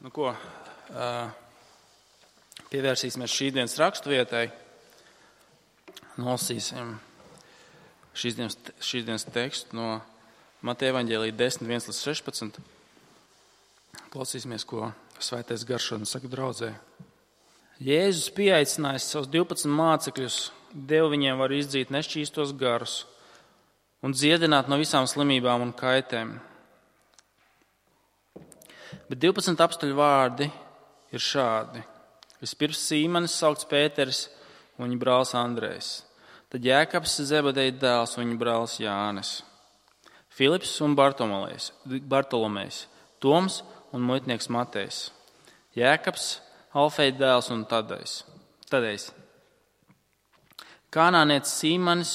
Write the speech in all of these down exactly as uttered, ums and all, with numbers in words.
Nu ko, pievērsīsimies šīsdienas raksturvietai, nolasīsim šīsdienas, šīsdienas tekstu no Mateja evaņģēlija desmit, viens līdz sešpadsmit. Klausīsimies, ko Svētais Gars šodien saka draudzē. Jēzus pieaicinājis savus divpadsmit mācekļus, deva viņiem varu izdzīt nešķīstos garus un dziedināt no visām slimībām un kaitēm. Bet divpadsmit apstuļu vārdi ir šādi. Vispirms Sīmanis, saukts Pēteris, un viņa brālis Andrejs. Tad Jēkabs, Zebedeja dēls, un viņa brālis Jānis. Filips un Bartolomejs, Toms un muitnieks Matejs. Jēkabs, Alfeja dēls un Tadejs. Tadejs. Kanānietis Sīmanis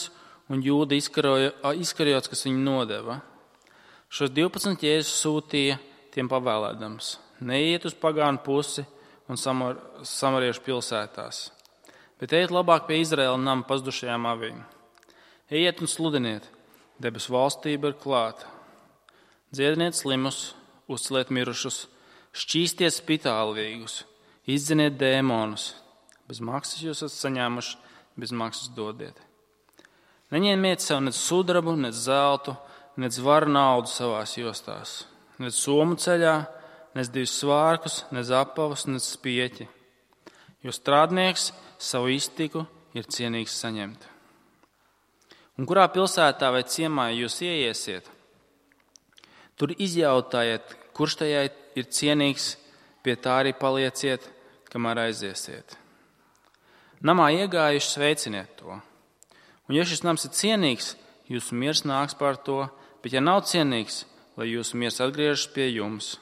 un Jūda Iskariots, kas viņu nodeva. Šos divpadsmit Jēzus sūtīja tiem pavēlēdams: neiet uz pagānu pusi un samar, samariešu pilsētās, bet ejiet labāk pie Izraēla nama pazudušajām avīm. Ejiet un sludiniet, debesu valstība ir klāta. Dziediniet slimus, uzceliet mirušus, šķīstiet spitālīgus, izdziniet dēmonus. Bez maksas jūs esat saņēmuši, bez maksas dodiet. Neņemiet sev nec sudrabu, nec zeltu, nec varu naudu savās jostās, nec somu ceļā, nec divus svārkus, nec apavus, nec spieķi. Jo strādnieks savu iztiku ir cienīgs saņemt. Un kurā pilsētā vai ciemā jūs ieiesiet, tur izjautājiet, kurš tajā ir cienīgs, pie tā arī palieciet, kamēr aiziesiet. Namā iegājuši sveiciniet to. Un ja šis nams ir cienīgs, jūsu miers nāks par to, bet ja nav cienīgs, lai jūsu miers atgriežas pie jums.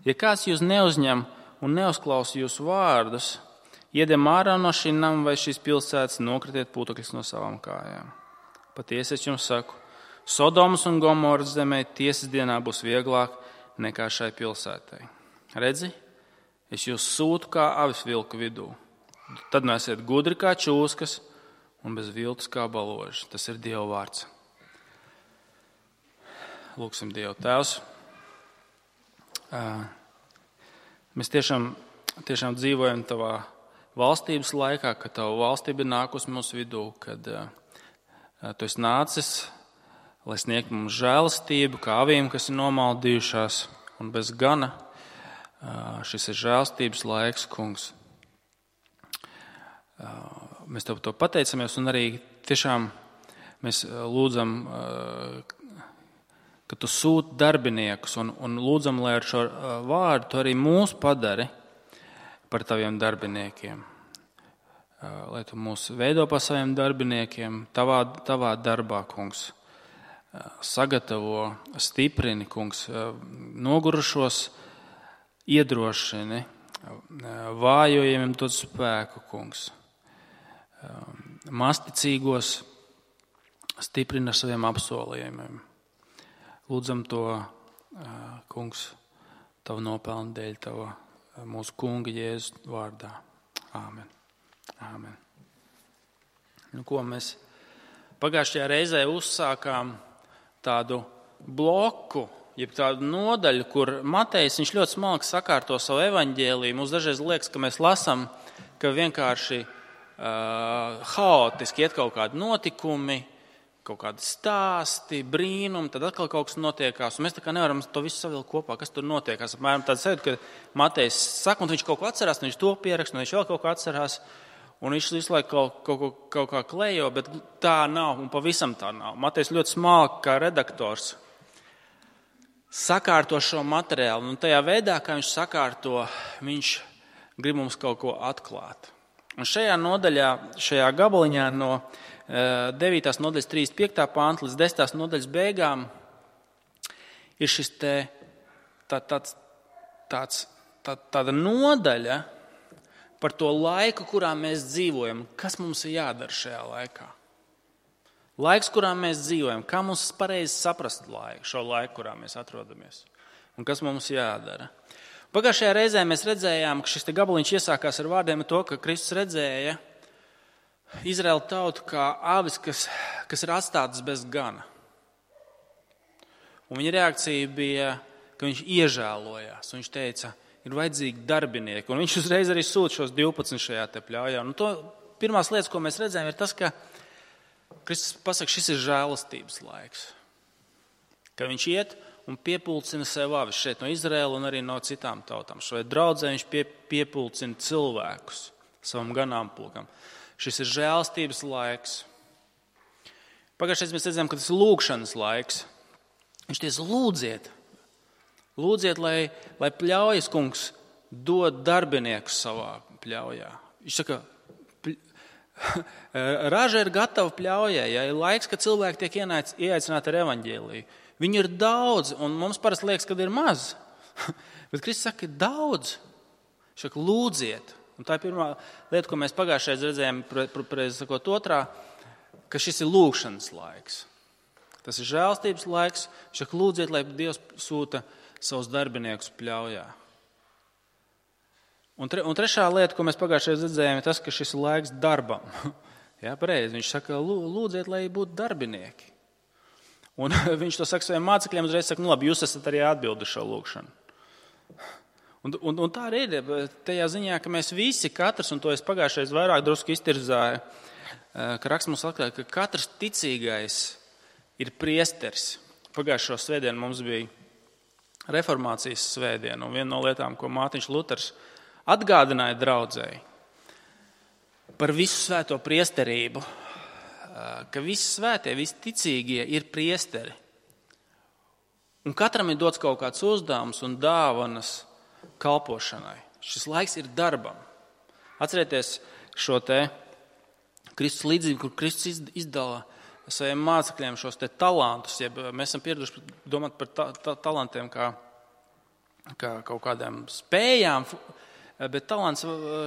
Ja kāds jūs neuzņem un neuzklausa jūsu vārdus, iedem ārā no šī nama vai šīs pilsētas, nokritiet putekļus no savām kājām. Patiesi es jums saku, Sodomas un Gomoras zemē tiesas dienā būs vieglāk nekā šai pilsētai. Redzi, es jūs sūtu kā avis vilku vidū. Tad nu esiet gudri kā čūskas un bez viltus kā baloži. Tas ir Dieva vārds. Lūksim Dievu. Tēvs, mēs tiešām, tiešām dzīvojam tavā valstības laikā, kad tava valstība ir nākusi mūsu vidū, kad tu esi nācis, lai sniegtu mums žēlastību, kā avīm, kas ir nomaldījušās, un bez gana šis ir žēlastības laiks, kungs. Mēs tev to pateicamies, un arī tiešām mēs lūdzam, ka tu sūti darbiniekus, un, un lūdzam, lai ar šo vārdu tu arī mūs padari par taviem darbiniekiem. Lai tu mūs veido par saviem darbiniekiem, tavā, tavā darbā, kungs. Sagatavo, stiprini, kungs, nogurušos iedrošini, vājojumiem dod spēku, kungs. Masticīgos stiprina saviem apsolījumiem. Lūdzam to, kungs, tavu nopelnu dēļ, tavu mūsu kunga Jēzus vārdā. Āmen. Āmen. Nu, ko mēs pagājušajā reizē uzsākām tādu bloku, jeb tādu nodaļu, kur Matejs, viņš ļoti smalki sakārto savu evaņģēliju. Mums dažreiz liekas, ka mēs lasām, ka vienkārši uh, haotiski iet kaut kādi notikumi, kaut kādi stāsti, brīnumi, tad atkal kaut kas notiekās. Un mēs tā kā nevaram to visu savilkt kopā, kas tur notiekās. Apmēram tāds sajūta, ka Matejs saka, un viņš kaut ko atcerās, un viņš to pieraksta, un viņš vēl kaut ko atcerās. Un viņš visu laiku kaut, kaut, kaut, kaut kā klejo, bet tā nav, un pavisam tā nav. Matejs ļoti smalki kā redaktors sakārto šo materiālu, un tajā veidā, kā viņš sakārto, viņš grib mums kaut ko atklāt. Un šajā nodaļā, šajā gabaliņā no devītās nodaļas trīsdesmit piektā panta līdz desmitās nodaļas beigām ir šis te tā, tāds, tāds, tā, tāda nodaļa par to laiku, kurā mēs dzīvojam. Kas mums ir jādara šajā laikā? Laiks, kurā mēs dzīvojam. Kā mums pareizi saprast laiku, šo laiku, kurā mēs atrodamies? Un kas mums jādara? Pagājušajā reizē mēs redzējām, ka šis te gabaliņš iesākās ar vārdiem to, ka Kristus redzēja Izraēla tautu kā avis, kas, kas ir atstātas bez gana. Un viņa reakcija bija, ka viņš iežēlojās. Un viņš teica, ir vajadzīgi darbinieki. Un viņš uzreiz arī sūta šos divpadsmit šajā te pļaujā. Un to pirmās lietas, ko mēs redzējām, ir tas, ka Kristus pasaka, šis ir žēlastības laiks. Ka viņš iet un piepulcina sev avis šeit no Izraēla un arī no citām tautām. Šai draudzē viņš pie, piepulcina cilvēkus savam ganāmpulkam. Šis ir žēlastības laiks. Pagājušajā mēs redzējām, ka tas ir lūgšanas laiks. Viņš teica, lūdziet, lūdziet, lai, lai pļaujas kungs dod darbiniekus savā pļaujā. Viņš saka, raža ir gatava pļaujai, ja ir laiks, kad cilvēki tiek ieaicināti ar evaņģēliju. Viņi ir daudz, un mums parasti liekas, ka ir maz. Bet Kristus saka, ir daudz. Viņš saka, lūdziet. Un tā ir pirmā lieta, ko mēs pagājušajā redzējām, preiz sakot otrā, ka šis ir lūgšanas laiks. Tas ir žēlstības laiks. Viņš saka, lūdziet, lai Dievs sūta savus darbiniekus pļaujā. Un, tre, un trešā lieta, ko mēs pagājušajā redzējām, ir tas, ka šis ir laiks darbam. Jā, pareizi. Viņš saka, lūdziet, lai būtu darbinieki. Un viņš to saka saviem mācekļiem, uzreiz saka, nu labi, jūs esat arī atbildi šo lūgšanu. Un, un, un tā arī ir tajā ziņā, ka mēs visi, katrs, un to es pagājušais vairāk drusku iztirzāju, ka raksts mums atklāja, ka katrs ticīgais ir priesteris. Pagājušo svētdienu mums bija reformācijas svētdiena, un viena no lietām, ko Mārtiņš Luters atgādināja draudzēji par visu svēto priesterību, ka visi svētie, visi ticīgie ir priesteri. Un katram ir dots kaut kāds uzdevums un dāvanas kalpošanai. Šis laiks ir darbam. Atcerieties šo te Kristus līdzību, kur Kristus izdala saviem mācekļiem šos te talantus. Ja mēs esam pieraduši domāt par ta, ta, talantiem kā, kā kaut kādām spējām, bet talants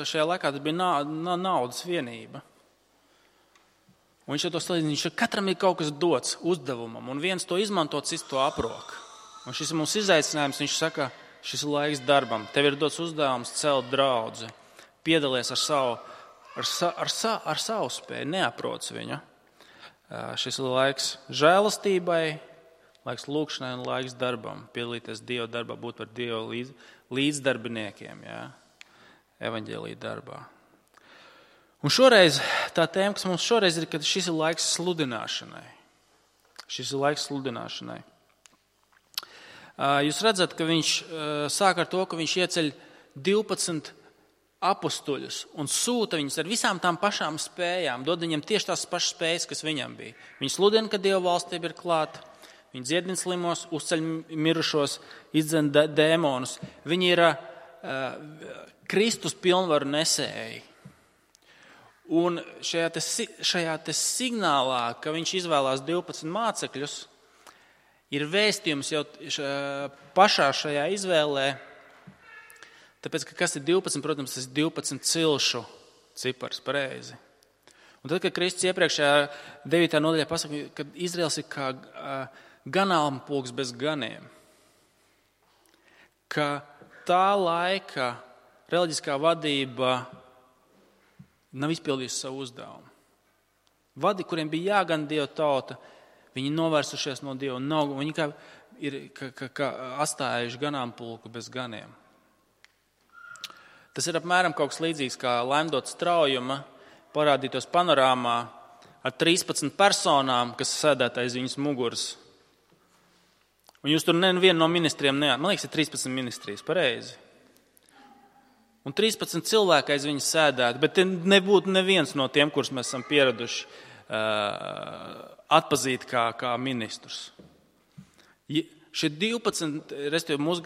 šajā laikā tas bija na, na, naudas vienība. Un viņš jau to salīdzina, viņš katram ir kaut kas dots uzdevumam, un viens to izmanto, cits to aprok. Un šis ir mums izaicinājums, viņš saka, šis ir laiks darbam. Tev ir dots uzdevums celt draudzi, piedalies ar savu, ar, sa, ar, sa, ar savu spēju, neaproc viņu. Šis ir laiks žēlastībai, laiks lūkšanai un laiks darbam, piedalīties Dieva darbā, būt par Dieva līdz, līdzdarbiniekiem, jā, evaņģēlija darbā. Un šoreiz tā tēma, kas mums šoreiz ir, ka šis ir laiks sludināšanai. Šis ir laiks sludināšanai. Jūs redzat, ka viņš sāk ar to, ka viņš ieceļ divpadsmit apustuļus un sūta viņus ar visām tām pašām spējām, dod viņiem tieši tās pašas spējas, kas viņam bija. Viņi sludina, ka Dieva valstība ir klāta, viņi dziedina slimos, uzceļ mirušos, izdzen dēmonus. Viņi ir uh, Kristus pilnvaru nesēji. Un šajā, te, šajā te signālā, ka viņš izvēlās divpadsmit mācekļus, ir vēstījums jau pašā šajā izvēlē, tāpēc, ka kas ir divpadsmit, protams, tas ir divpadsmit cilšu cipars, pareizi. Un tad, kad Kristus iepriekšējā devītā nodaļā pasaka, ka Izraels ir kā ganāmpulks bez ganiem, ka tā laika reliģiskā vadība nav izpildījusi savu uzdevumu. Vadi, kuriem bija jāgan Dieva tauta, viņi novērsušies no Dieva, nav, viņi kā ir kā, kā, kā atstājuši ganāmpulku bez ganiem. Tas ir apmēram kaut kas līdzīgs, kā laimdot straujuma parādītos panorāmā ar trīspadsmit personām, kas sēdēt aiz viņas muguras. Un jūs tur nevienu no ministriem neat. Man liekas, ir trīspadsmit ministrijas, pareizi. Un trīspadsmit cilvēki aiz viņas sēdētu, bet nebūtu neviens no tiem, kurus mēs esam pieraduši uh, atpazīt kā, kā ministrus. Ja, šie divpadsmit, respektīvi, mūs,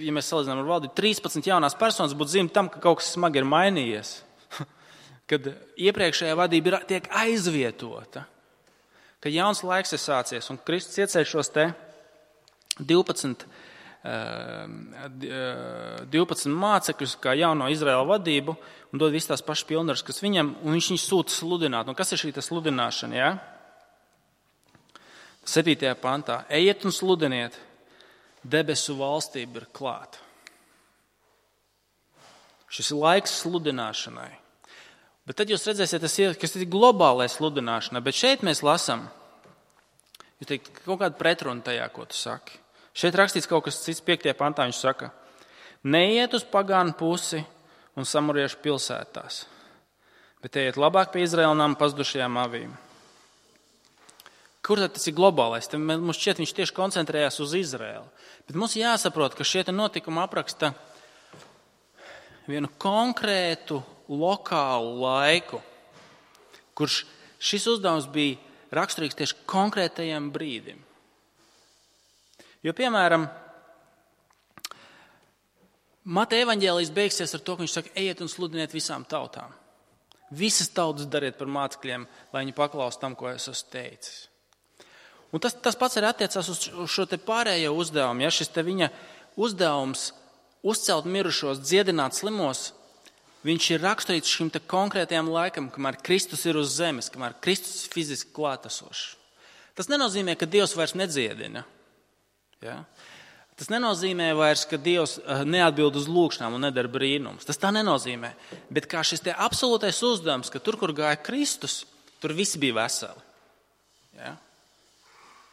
ja mēs salīdzinām ar valdību, trīspadsmit jaunās personas būtu zīme tam, ka kaut kas smagi ir mainījies. Kad iepriekšējā vadība ir, tiek aizvietota, ka jauns laiks ir sācies un Kristus ieceļ šos te divpadsmit divpadsmit mācekļus kā jauno Izraēla vadību un dod visas tās pašas pilnvaras, kas viņam, un viņš viņus sūta sludināt. Un kas ir šī sludināšana? Ja? septītajā pantā. Ejiet un sludiniet, debesu valstība ir klāta. Šis ir laiks sludināšanai. Bet tad jūs redzēsiet, tas ir, kas ir globālai sludināšanai. Bet šeit mēs lasām, jūs teikt, kaut kāda pretruna tajā, ko tu saki. Šeit rakstīts kaut kas cits, piektajā pantā viņš saka, Neiet uz pagānu pusi un samuriešu pilsētās, bet ejiet labāk pie Izraēlnām pazudušajām avīm. Kur tad tas ir globālais? Tad mums šķiet, viņš tieši koncentrējās uz Izraēlu. Bet mums jāsaprot, ka šie notikumi apraksta vienu konkrētu lokālu laiku, kurš šis uzdevums bija raksturīgs tieši konkrētajam brīdim. Jo, piemēram, Mateja evaņģēlijs beigsies ar to, ka viņš saka, ejiet un sludiniet visām tautām. Visas tautas dariet par mācekļiem, lai viņi paklaus tam, ko es esmu teicis. Un tas, tas pats arī attiecās uz šo te pārējo uzdevumu. Ja šis te viņa uzdevums uzcelt mirušos, dziedināt slimos, viņš ir raksturīts šim te konkrētajam laikam, kamēr Kristus ir uz zemes, kamēr Kristus ir fiziski klātesošs. Tas nenozīmē, ka Dievs vairs nedziedina. Ja? Tas nenozīmē vairs, ka Dievs neatbild uz lūkšanām un nedara brīnums. Tas tā nenozīmē. Bet kā šis te absolūtais uzdevums, ka tur, kur gāja Kristus, tur visi bija veseli. Ja?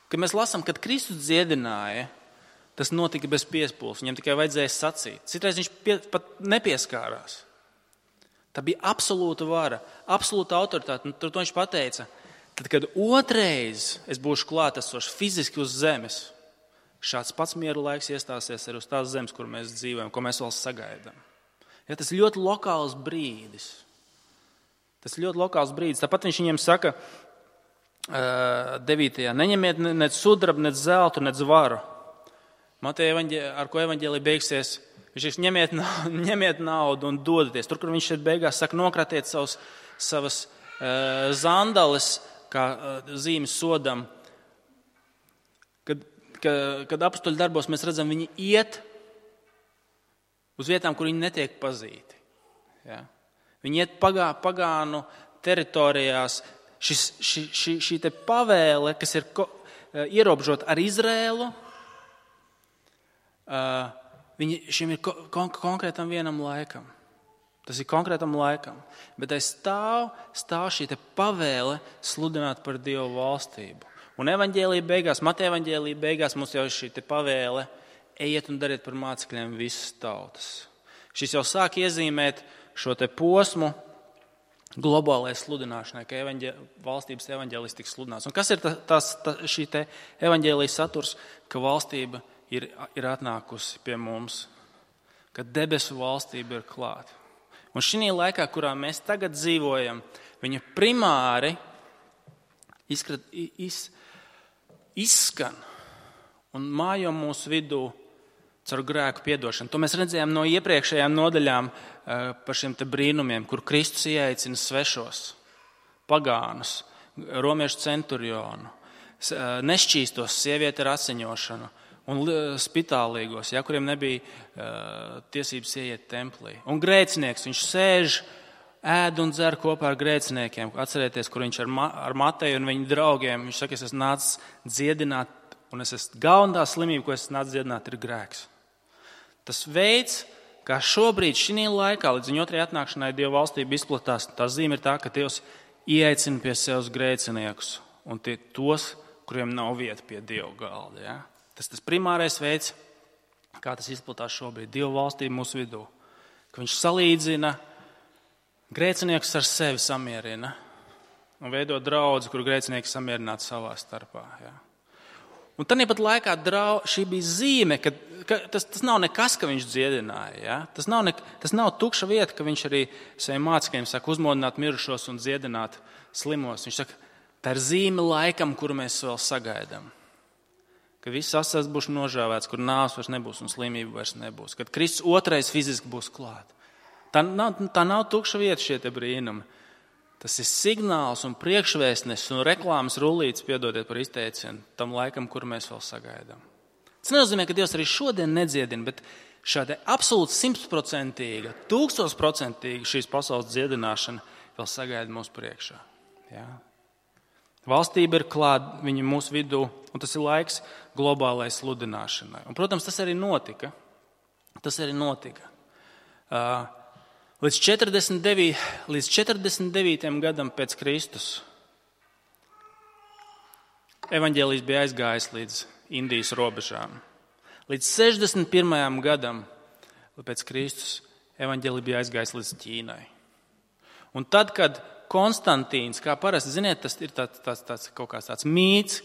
Kad mēs lasām, kad Kristus dziedināja, tas notika bez piespūles. Viņam tikai vajadzēja sacīt. Citreiz viņš pie, pat nepieskārās. Tā bija absolūta vara, absolūta autoritāte. Un tur to viņš pateica, tad, kad otrais es būšu klātesošs fiziski uz zemes, šāds pats miera laiks iestāsies arī uz tās zemes, kur mēs dzīvojam, ko mēs vēl sagaidām. Ja, tas ir ļoti lokāls brīdis. Tas ir ļoti lokāls brīdis. Tāpat viņš viņiem saka, devītajā. Neņemiet nec sudrabu, nec zeltu, nec varu. Mateja, ar ko evaņģēlija beigsies, viņš ir ņemiet, ņemiet naudu un dodaties. Tur, kur viņš šeit beigās saka, nokratiet savus, savas uh, zandales, kā uh, zīmes sodam. Kad, ka, kad apstuļu darbos mēs redzam, viņi iet uz vietām, kur viņi netiek pazīti. Ja? Viņi iet pagā, pagānu teritorijās. Šis, ši, ši, šī te pavēle, kas ir ko, ierobežota ar Izrēlu, uh, viņi, šim ir ko, kon, konkrētam vienam laikam. Tas ir konkrētam laikam. Bet aiz stāv, stāv šī te pavēle sludināt par Dievu valstību. Un evaņģēlija beigās, Mateja evaņģēlija beigās mums jau ir šī te pavēle, ejiet un dariet par mācekļiem visas tautas. Šis jau sāk iezīmēt šo te posmu, globālajai sludināšanai, ka evaņģē, valstības evaņģēlis tiks sludināts. Un kas ir tas, tas, šī te evaņģēlijas saturs, ka valstība ir, ir atnākusi pie mums, ka debesu valstība ir klāta. Un šī laikā, kurā mēs tagad dzīvojam, viņa primāri izskrat, iz, izskan un mājo mūsu vidū caur grēku piedošanu. To mēs redzējām no iepriekšējām nodaļām par šiem te brīnumiem, kur Kristus ieaicina svešos, pagānus, romiešu centurionu, nešķīstos, sievieti ar asiņošanu un spitālīgos, ja, kuriem nebija uh, tiesības ieiet templī. Un grēcinieks, viņš sēž, ēd un dzer kopā ar grēciniekiem. Atcerieties, kur viņš ar, Ma, ar Mateju un viņa draugiem, viņš saka, es esmu nācis dziedināt, un es esmu galvenā slimība, ko es esmu nācis dziedināt, ir grēks. Tas veids, kā šobrīd, šī laikā, līdz viņa otrajai atnākšanai Dieva valstība izplatās, tā zīme ir tā, ka Dievs ieaicina pie sevis grēciniekus un tie tos, kuriem nav vieta pie Dieva galda. Ja? Tas tas primārais veids, kā tas izplatās šobrīd, Dieva valstība mūsu vidū. Ka viņš salīdzina grēciniekus ar sevi samierina un veido draudzi, kur grēcinieki samierināti savā starpā. Ja? Un tāpat laikā drau, šī bija zīme, ka, ka tas, tas nav nekas, ka viņš dziedināja. Ja? Tas, nav ne, tas nav tukša vieta, ka viņš arī saviem mācekļiem saka uzmodināt mirušos un dziedināt slimos. Viņš saka, tā ir zīme laikam, kuru mēs vēl sagaidām. Ka viss asars būs nožāvēts, kur nāves vairs nebūs un slimība vairs nebūs. Kad Kristus otrais fiziski būs klāt. Tā nav, tā nav tukša vieta šie te brīnumi. Tas ir signāls un priekšvēstnesis un reklāmas rullītes, piedodiet par izteicienu, tam laikam, kur mēs vēl sagaidām. Tas nenozīmē, ka Dievs arī šodien nedziedina, bet šāda absolūti simtprocentīga, tūkstošprocentīga šīs pasaules dziedināšana vēl sagaida mūsu priekšā. Ja? Valstība ir klāta viņa mūsu vidū, un tas ir laiks globālai sludināšanai. Un, protams, tas arī notika. Tas arī notika. Uh, Līdz četrdesmit devītajam, līdz četrdesmit devītajam gadam pēc Kristus evaņģēlijs bija aizgājis līdz Indijas robežām. Līdz sešdesmit pirmajam gadam pēc Kristus evaņģēlija bija aizgājis līdz Ķīnai. Un tad, kad Konstantīns, kā parasti, ziniet, tas ir tāds, tāds, tāds, kaut kāds tāds mīts,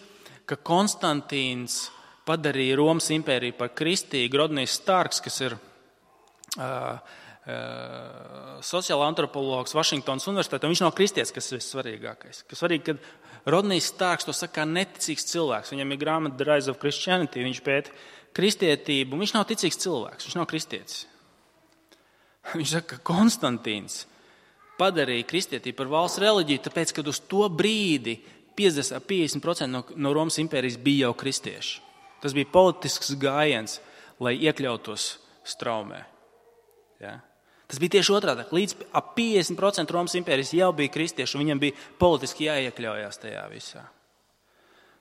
ka Konstantīns padarīja Romas impēriju par kristīgu. Rodnijs Starks, kas ir uh, uh, sociāla antropologs Vašingtonas universitātē, viņš nav kristietis, kas ir svarīgākais. Kas svarīgi, kad Rodnijs Starks to saka kā neticīgs cilvēks. Viņam ir grāmata The Rise of Christianity, viņš pēta kristietību. Viņš nav ticīgs cilvēks, viņš nav kristietis. Viņš saka, ka Konstantīns padarīja kristietību par valsts reliģiju, tāpēc, kad uz to brīdi piecdesmit līdz piecdesmit procenti no, no Romas impērijas bija jau kristieši. Tas bija politisks gājiens, lai iekļautos straumē. Ja? Tas bija tieši otrādi. Līdz ap piecdesmit procenti Romas impērijas jau bija kristieši, un viņam bija politiski jāiekļaujās tajā visā.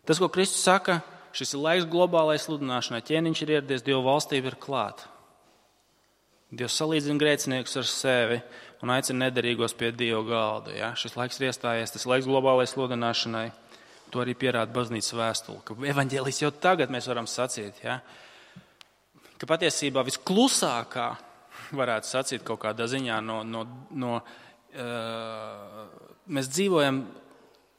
Tas, ko Kristus saka, šis ir laiks globālai sludināšanai. Ķēniņš ir ieradies, Dieva valstība ir klāta. Dievs salīdzina grēciniekus ar sevi un aicina nederīgos pie Dieva galda. Ja? Šis laiks ir iestājies, tas laiks globālai sludināšanai. To arī pierāda baznīcas vēstule, ka evaņģēlijs jau tagad mēs varam sacīt, ja? Ka patiesībā visklusākā, varētu sacīt kaut kādā ziņā, no, no, no, uh, mēs dzīvojam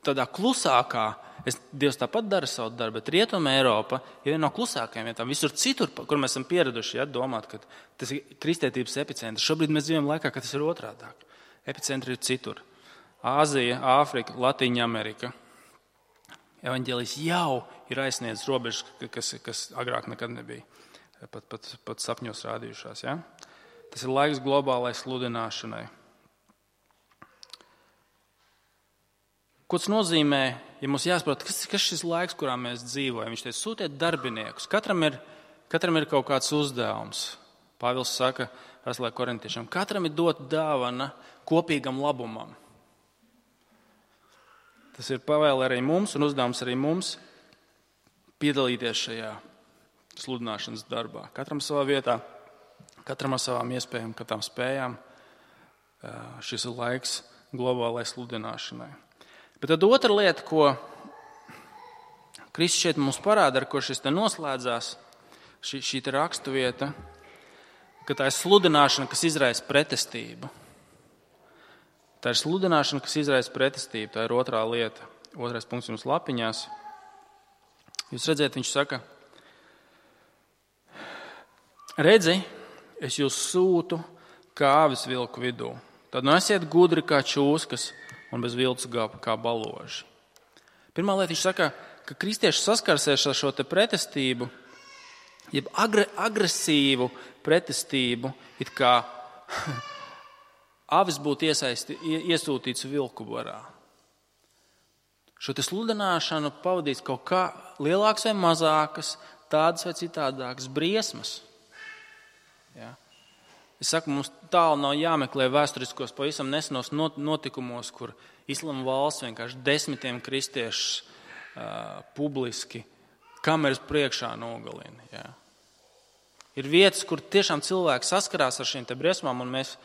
tādā klusākā, es, Dievs tāpat dara savu darbu, bet Rietuma Eiropa ir viena no klusākajām vietām. Visur citur, kur mēs esam pieraduši, ja, domāt, ka tas ir kristietības epicentrs. Šobrīd mēs dzīvojam laikā, ka tas ir otrādāk. Epicentri ir citur. Āzija, Āfrika, Latīņa Amerika. Evaņģēlijs jau ir aizsniedzis robežas, kas, kas agrāk nekad nebija pat, pat, pat sapņos rādījušās. Ja? Tas ir laiks globālai sludināšanai. Ko tas nozīmē, ja mums jāsaprot, kas ir šis laiks, kurā mēs dzīvojam? Viņš teica, sūtiet darbiniekus. Katram ir, katram ir kaut kāds uzdevums. Pāvils saka, Vēstulē korintiešiem, katram ir dot dāvana kopīgam labumam. Tas ir pavēle arī mums un uzdevums arī mums piedalīties šajā sludināšanas darbā. Katram savā vietā, katram ar savām iespējām, katram spējām. Šis ir laiks globālai sludināšanai. Bet tad otra lieta, ko Kristus šeit mums parāda, ar ko šis te noslēdzās, šī, šī te rakstuvieta, ka tā ir sludināšana, kas izraisa pretestību. Tā ir sludināšana, kas izraisa pretestību. Tā ir otrā lieta. Otrais punkts jums lapiņās. Jūs redzēt, viņš saka, redzi, es jūs sūtu kā avis vilku vidū. Tad nu esiet gudri kā čūskas un bez viltus kā baloži. Pirmā lieta, viņš saka, ka kristieši saskarsies ar šo te pretestību, jeb agre, agresīvu pretestību, it kā avis būtu iesaisti, iesūtīts vilku barā. Šo te sludināšanu pavadīs kaut kā lielākas vai mazākas, tādas vai citādākas briesmas. Ja? Es saku, mums tālu nav jāmeklē vēsturiskos pavisam nesenos notikumos, kur Islama valsts vienkārši desmitiem kristiešus uh, publiski kameras priekšā nogalina. Ja? Ir vietas, kur tiešām cilvēki saskarās ar šīm te briesmām, un mēs,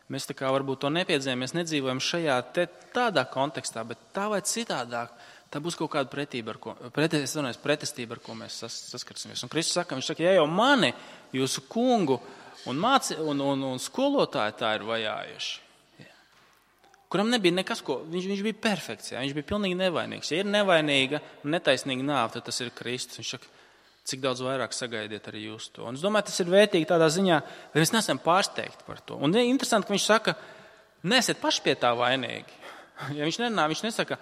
mēs tā kā varbūt to nepiedzīvojam, mēs nedzīvojam šajā te, tādā kontekstā, bet tā vai citādāk, tā būs kaut kāda pretība, ar ko, pret, es runāju, pretestība, ar ko mēs sas, saskarsimies. Un Kristus saka, viņš saka, ja jau mani, jūsu kungu, Un, māci, un, un, un skolotāji tā ir vajājuši. Ja. Kuram nebija nekas, ko viņš, viņš bija perfekts, ja. Viņš bija pilnīgi nevainīgs. Ja ir nevainīga un netaisnīga nāve, tad tas ir Kristus. Viņš saka, cik daudz vairāk sagaidiet arī jūs to. Un es domāju, tas ir vērtīgi tādā ziņā, ka mēs neesam pārsteigti par to. Un interesanti, ka viņš saka, neesiet paši pie tā vainīgi. Ja viņš nenā, viņš nesaka,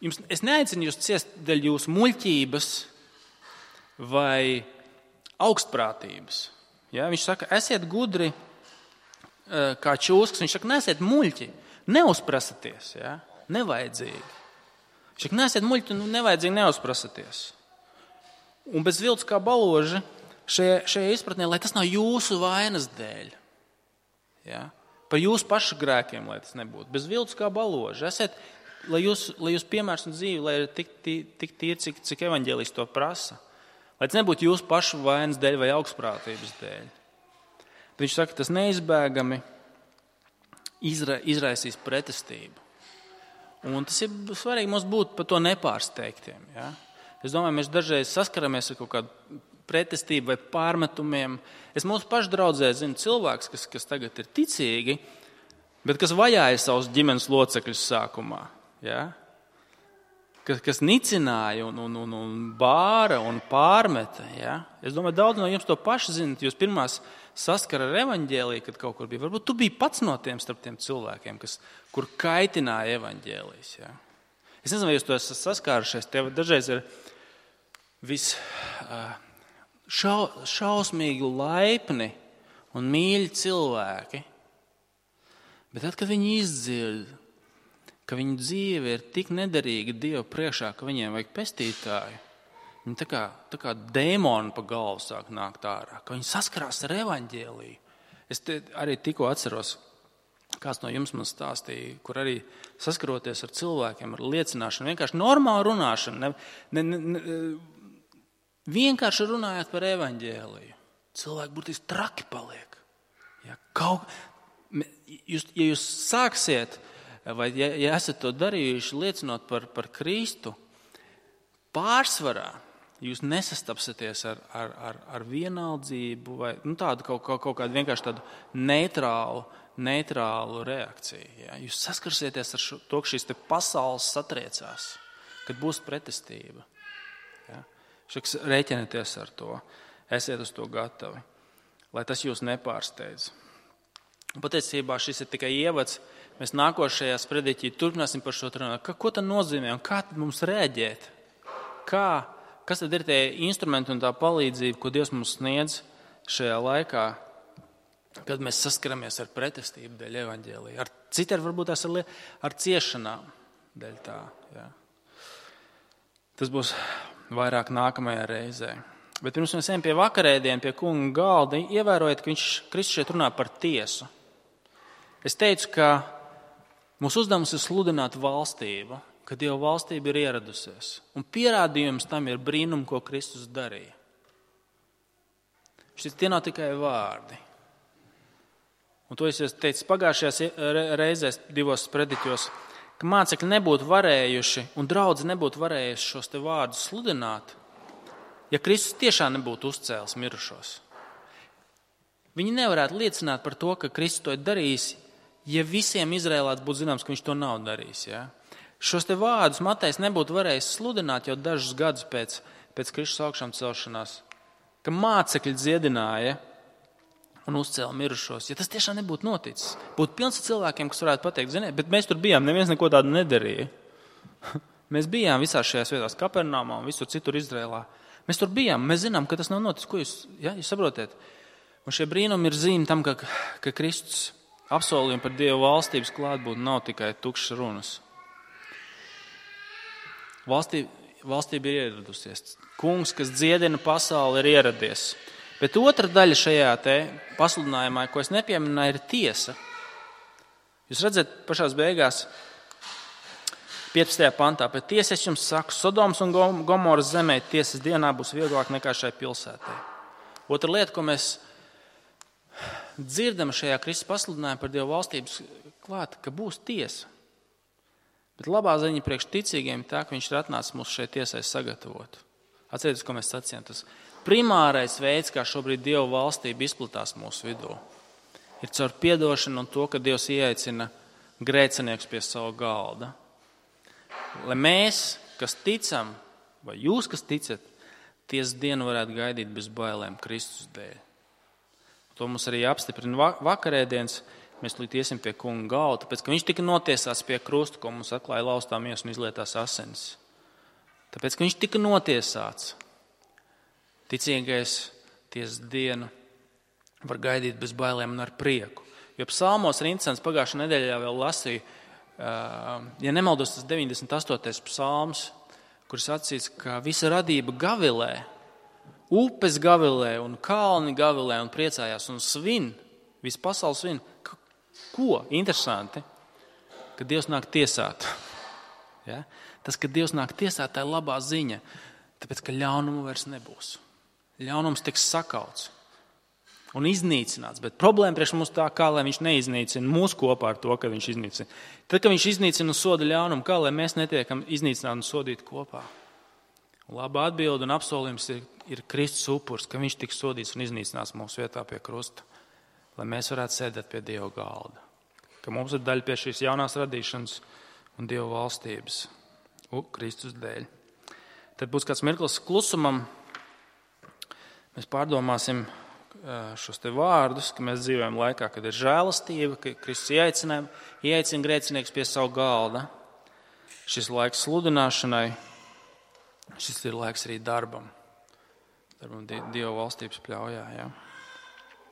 jums, es neaicinu jūs ciest dēļ jūsu muļķības vai augstprātības. Ja, viņš saka, esiet gudri kā čūskas. Viņš saka, neesiet muļķi, neuzprasaties, ja, nevajadzīgi. Viņš saka, neesiet muļķi, nevajadzīgi neuzprasaties. Un bez viltus kā baloži šajā, šajā izpratnē, lai tas nav jūsu vainas dēļ. Ja, par jūsu pašu grēkiem, lai tas nebūtu. Bez viltus kā baloži. Esiet, lai jūs, lai jūs piemērs un dzīve, lai ir tik, tik, tik tīri, cik, cik evaņģēlijs to prasa. Lai tas nebūtu jūsu pašu vainas dēļ vai augstprātības dēļ. Bet viņš saka, tas neizbēgami izra, izraisīs pretestību. Un tas ir svarīgi mums būt par to nepārsteigtiem. Ja? Es domāju, mēs dažreiz saskaramies ar kaut kādu pretestību vai pārmetumiem. Es mūsu pašu draudzē zinu cilvēks, kas, kas tagad ir ticīgi, bet kas vajāja savus ģimenes locekļus sākumā. Ja? Kas, kas nicināja un, un, un, un bāra un pārmeta. Ja? Es domāju, daudz no jums to paši zinat. Jūs pirmās saskara ar evaņģēliju, kad kaut kur bija. Varbūt tu biji pats no tiem starp tiem cilvēkiem, kas, kur kaitināja evaņģēlijs. Ja? Es nezinu, vai jūs to esat saskārušies. Tev dažreiz ir vis šau, šausmīgi laipni un mīļi cilvēki. Bet tad, kad viņi izdzird, ka viņu dzīve ir tik nederīga Dieva priekšā, ka viņiem vajag pestītāju, viņi tā kā, tā kā dēmoni pa galvu sāk nākt ārā, ka viņi saskarās ar evaņģēliju. Es te arī tikko atceros, kāds no jums man stāstīja, kur arī saskaroties ar cilvēkiem, ar liecināšanu, vienkārši normālu runāšanu, ne, ne, ne, ne, vienkārši runājot par evaņģēliju. Cilvēki burtiski traki paliek. Ja, kaut, jūs, ja jūs sāksiet, vai ja, ja esat to darījuši, liecinot par, par Kristu, pārsvarā jūs nesastapsieties ar, ar, ar, ar vienaldzību vai nu, tādu kaut, kaut, kaut kādu vienkārši tādu neitrālu, neitrālu reakciju. Ja. Jūs saskarsieties ar šo, to, ka šīs te pasaules satriecās, kad būs pretestība. Ja. Šaks rēķinieties ar to, esiet uz to gatavi, lai tas jūs nepārsteidz. Patiesībā šis ir tikai ievads. Mēs nākošajā sprediķī turpināsim par šo runāt. Ko tad nozīmē un kā tad mums rēģēt? Kā, kas tad ir tie instrumenti un tā palīdzība, ko Dievs mums sniedz šajā laikā, kad mēs saskaramies ar pretestību dēļ evaņģēlija? Ar citiem varbūt tās ar, ar ciešanām dēļ tā. Jā. Tas būs vairāk nākamajā reizē. Bet pirms mēs ejam pie vakarēdiena, pie kunga galda, ievērojiet, ka viņš Kristus šeit runā par tiesu. Es teicu, ka mūsu uzdevums ir sludināt valstību, ka Dieva valstība ir ieradusies. Un pierādījums tam ir brīnumi, ko Kristus darīja. Šis tie nav tikai vārdi. Un to es teicu pagājušajās reizēs divos sprediķos, ka mācekļi nebūtu varējuši un draudzi nebūtu varējuši šos te vārdus sludināt, ja Kristus tiešām nebūtu uzcēlis mirušos. Viņi nevarētu liecināt par to, ka Kristus to ir darījis, ja visiem Izrēlāts būtu zināms, ka viņš to nav darījis. Ja? Šos te vārdus Matejs nebūtu varējis sludināt jau dažus gadus pēc, pēc Kristus augšām celšanās, ka mācekļi dziedināja un uzcēla mirušos. Ja tas tiešām nebūtu noticis, būtu pilns ar cilvēkiem, kas varētu pateikt, ziniet, bet mēs tur bijām, neviens neko tādu nedarīja. Mēs bijām visās šajās vietās, Kapernāmā un visur citur Izrēlā. Mēs tur bijām, mēs zinām, ka tas nav noticis. Ko jūs, ja, jūs saprotiet? Un šie brīnumi ir zīme tam, ka, ka Kristus apsolījumi par Dieva valstības klātbūtni nav tikai tukšas runas. Valstī, valstība ir ieradusies. Kungs, kas dziedina pasauli, ir ieradies. Bet otra daļa šajā te pasludinājumā, ko es nepieminēju, ir tiesa. Jūs redzat, pašās beigās, piecpadsmitajā pantā, pēc tiesas es jums saku, Sodomas un Gomoras zemē tiesas dienā būs vieglāk nekā šai pilsētai. Otra lieta, ko mēs dzirdam šajā Kristus pasludinājumā par Dieva valstības klāt, ka būs tiesa. Bet labā ziņa priekš ticīgiem ir tā, ka viņš ir atnācis mūs šeit tiesai sagatavot. Atcerieties, ko mēs sacījām. Tas primārais veids, kā šobrīd Dieva valstība izplatās mūsu vidū, ir caur piedošanu un to, ka Dievs ieaicina grēcinieks pie sava galda. Lai mēs, kas ticam, vai jūs, kas ticat, tiesas dienu varētu gaidīt bez bailēm Kristus dēļ. To mums arī apstiprina vakarēdienas. Mēs līdz iesim pie kunga galda, tāpēc, ka viņš tika notiesāts pie krusta, ko mums atklāja laustā miesa un izlietās asinis. Tāpēc, ka viņš tika notiesāts, ticīgais tiesas dienu var gaidīt bez bailēm un ar prieku. Jo psalmos ir interesants, pagājušajā nedēļā vēl lasīju, ja nemaldos, tas deviņdesmit astotais psalms, kur sacīts, ka visa radība gavilē, upes gavilē un kalni gavilē un priecājās un svin, viss pasaules svin. Ko? Interesanti, ka Dievs nāk tiesāt. Ja? Tas, ka Dievs nāk tiesāt, tā ir labā ziņa, tāpēc, ka ļaunumu vairs nebūs. Ļaunums tiks sakauts un iznīcināts, bet problēma priekš mums tā, kā lai viņš neiznīcina mūs kopā ar to, ka viņš iznīcina. Tad, kad viņš iznīcina un soda ļaunumu, kā lai mēs netiekam iznīcināti un sodīti kopā. Laba atbilde un apsolījums ir, ir Kristus upurs, ka viņš tiks sodīts un iznīcinās mūsu vietā pie krusta, lai mēs varētu sēdēt pie Dieva galda. Ka mums ir daļa pie šīs jaunās radīšanas un Dieva valstības Kristus dēļ. Tad būs kāds mirklis klusumam. Mēs pārdomāsim šos te vārdus, ka mēs dzīvojam laikā, kad ir žēlastība, ka Kristus ieaicina, ieaicina grēcinieks pie savu galda. Šis laiks sludināšanai, šis ir laiks arī darbam. Darbam Dieva valstības pļaujā, jā.